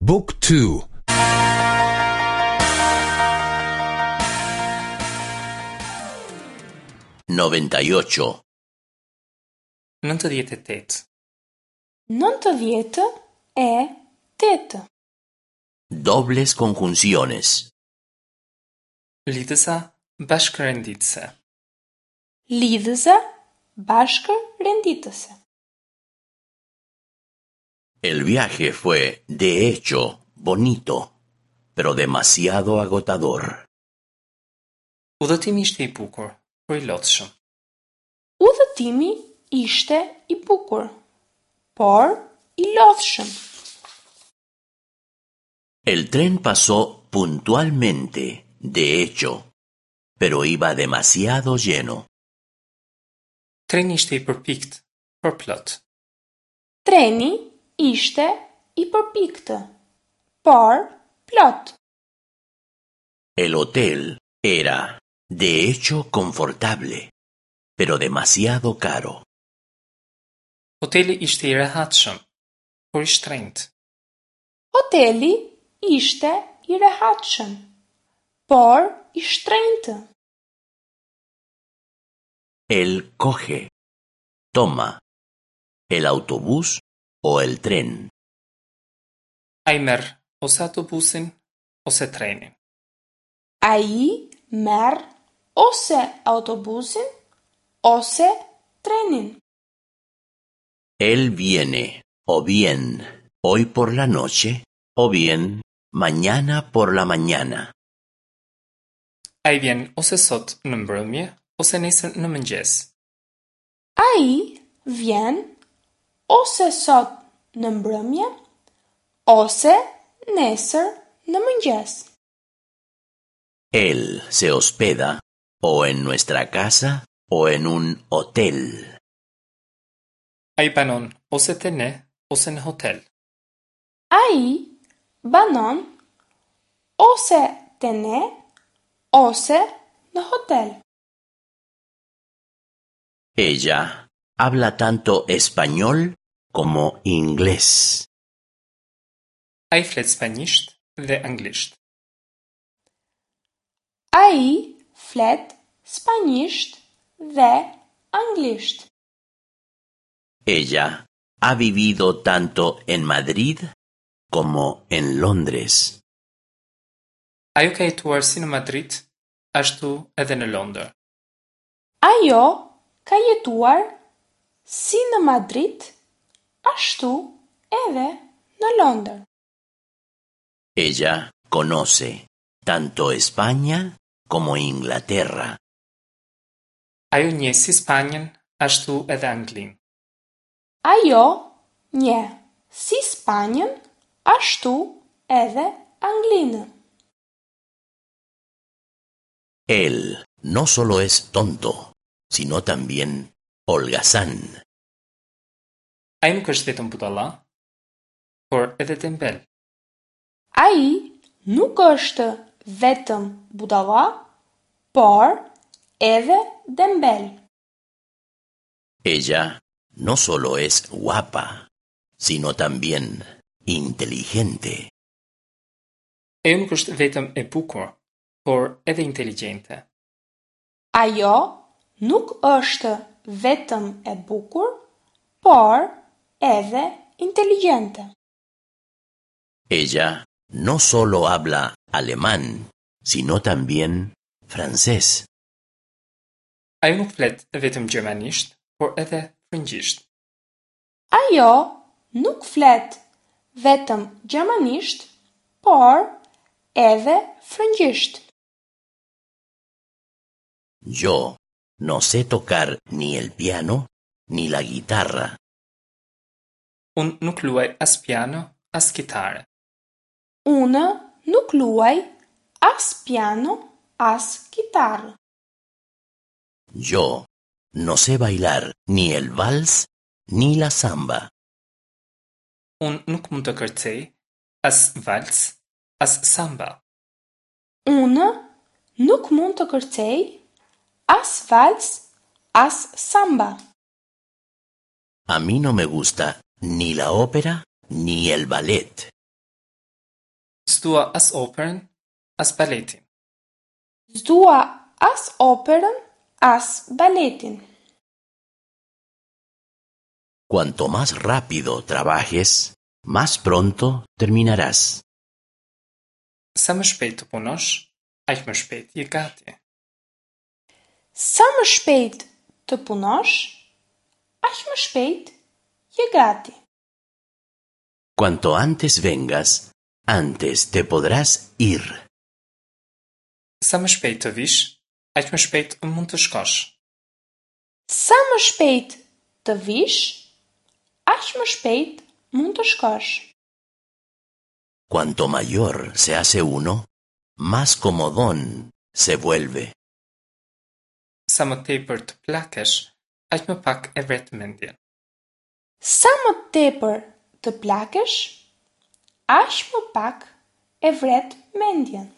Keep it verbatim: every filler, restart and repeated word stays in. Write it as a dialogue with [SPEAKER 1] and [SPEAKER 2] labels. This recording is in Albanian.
[SPEAKER 1] Book two.
[SPEAKER 2] Noventa y ocho.
[SPEAKER 3] Nëntëdhjetë e tetë.
[SPEAKER 4] Nëntëdhjetë e tetë.
[SPEAKER 2] Dobles conjunciones.
[SPEAKER 3] Lidhëza bashkërenditëse.
[SPEAKER 4] Lidhëza bashkërenditëse.
[SPEAKER 2] El viaje fue, de hecho, bonito, pero demasiado agotador.
[SPEAKER 3] Udhëtimi ishte i bukur, por i lodhshëm.
[SPEAKER 4] Udhëtimi ishte i bukur, por i lodhshëm.
[SPEAKER 2] El tren pasó puntualmente, de hecho, pero iba demasiado lleno.
[SPEAKER 3] Treni ishte i përpikt, por plot.
[SPEAKER 4] Treni ishte i përpiktë, por plot.
[SPEAKER 2] El hotel era, de hecho, confortable, pero demasiado caro.
[SPEAKER 3] Hoteli ishte i rehatshëm, por i shtrenjtë.
[SPEAKER 4] Hoteli ishte i rehatshëm, por i shtrenjtë.
[SPEAKER 2] Él coge, toma, el autobús o el tren.
[SPEAKER 3] Ai merr ose autobusin ose trenin.
[SPEAKER 4] Ai merr ose autobusin ose trenin.
[SPEAKER 2] Él viene o bien hoy por la noche o bien mañana por la mañana.
[SPEAKER 3] Ai vjen ose sot në mbrëmje ose nesër në mëngjes.
[SPEAKER 4] Ai vjen ose sot në mbrëmje ose nesër në mëngjes.
[SPEAKER 2] Él se hospeda o en nuestra casa o en un hotel.
[SPEAKER 3] Ai banon ose te ne ose në hotel.
[SPEAKER 4] Ai banon ose te ne ose në hotel.
[SPEAKER 2] Ella habla tanto español como inglés.
[SPEAKER 3] Ai flet spanjisht dhe anglisht.
[SPEAKER 4] Ai flet spanjisht dhe anglisht.
[SPEAKER 2] Ella ha vivido tanto en Madrid como en Londres.
[SPEAKER 3] Ajo ka jetuar si në Madrid, ashtu edhe në Londër.
[SPEAKER 4] Ajo ka jetuar si në Madrid, ashtu edhe në Londër.
[SPEAKER 2] Ella conoce tanto España como Inglaterra.
[SPEAKER 3] Ajo njeh si Spanjën, ashtu edhe Anglinë.
[SPEAKER 4] Ajo njeh si Spanjën, ashtu edhe Anglinë.
[SPEAKER 2] Él no solo es tonto, sino también holgazán.
[SPEAKER 3] Ai nuk është vetëm budalla, por edhe dembel.
[SPEAKER 4] Ai nuk është vetëm budalla, por edhe dembel.
[SPEAKER 2] Ella no solo es guapa, sino también inteligente.
[SPEAKER 3] Ajo nuk është vetëm e bukur, por edhe inteligjente.
[SPEAKER 4] Ajo nuk është vetëm e bukur, por edhe inteligjente.
[SPEAKER 2] Ella no solo habla alemán, sino también francés.
[SPEAKER 3] Ajo nuk flet vetëm gjermanisht, por edhe frëngjisht.
[SPEAKER 4] Ajo nuk flet vetëm gjermanisht, por edhe frëngjisht.
[SPEAKER 2] Yo no sé tocar ni el piano ni la guitarra.
[SPEAKER 3] Unë nuk luaj as piano, as kitare.
[SPEAKER 4] Unë nuk luaj as piano, as kitarë.
[SPEAKER 2] Yo no sé bailar ni el vals ni la samba.
[SPEAKER 3] Unë nuk mund të kërcej as vals, as samba.
[SPEAKER 4] Unë nuk mund të kërcej as vals, as samba.
[SPEAKER 2] A mí no me gusta ni la ópera ni el ballet.
[SPEAKER 3] S'dua as operën, as baletin.
[SPEAKER 4] S'dua as operën, as baletin.
[SPEAKER 2] Cuanto más rápido trabajes, más pronto terminarás.
[SPEAKER 3] Sa më shpejt të punosh, aq më shpejt je gati.
[SPEAKER 4] Sa më shpejt të punosh, aq më shpejt je gati.
[SPEAKER 2] Cuanto antes vengas, antes te podrás ir.
[SPEAKER 3] Sa më shpejt të vish, aq më shpejt mund të shkosh.
[SPEAKER 4] Sa më shpejt të vish, aq më shpejt mund të shkosh.
[SPEAKER 2] Cuanto mayor se hace uno, más comodón se vuelve.
[SPEAKER 3] Sa më tepër të plakesh, aq më pak e vret mendjen.
[SPEAKER 4] Sa më tepër të plakesh, aq më pak e vret mendjen.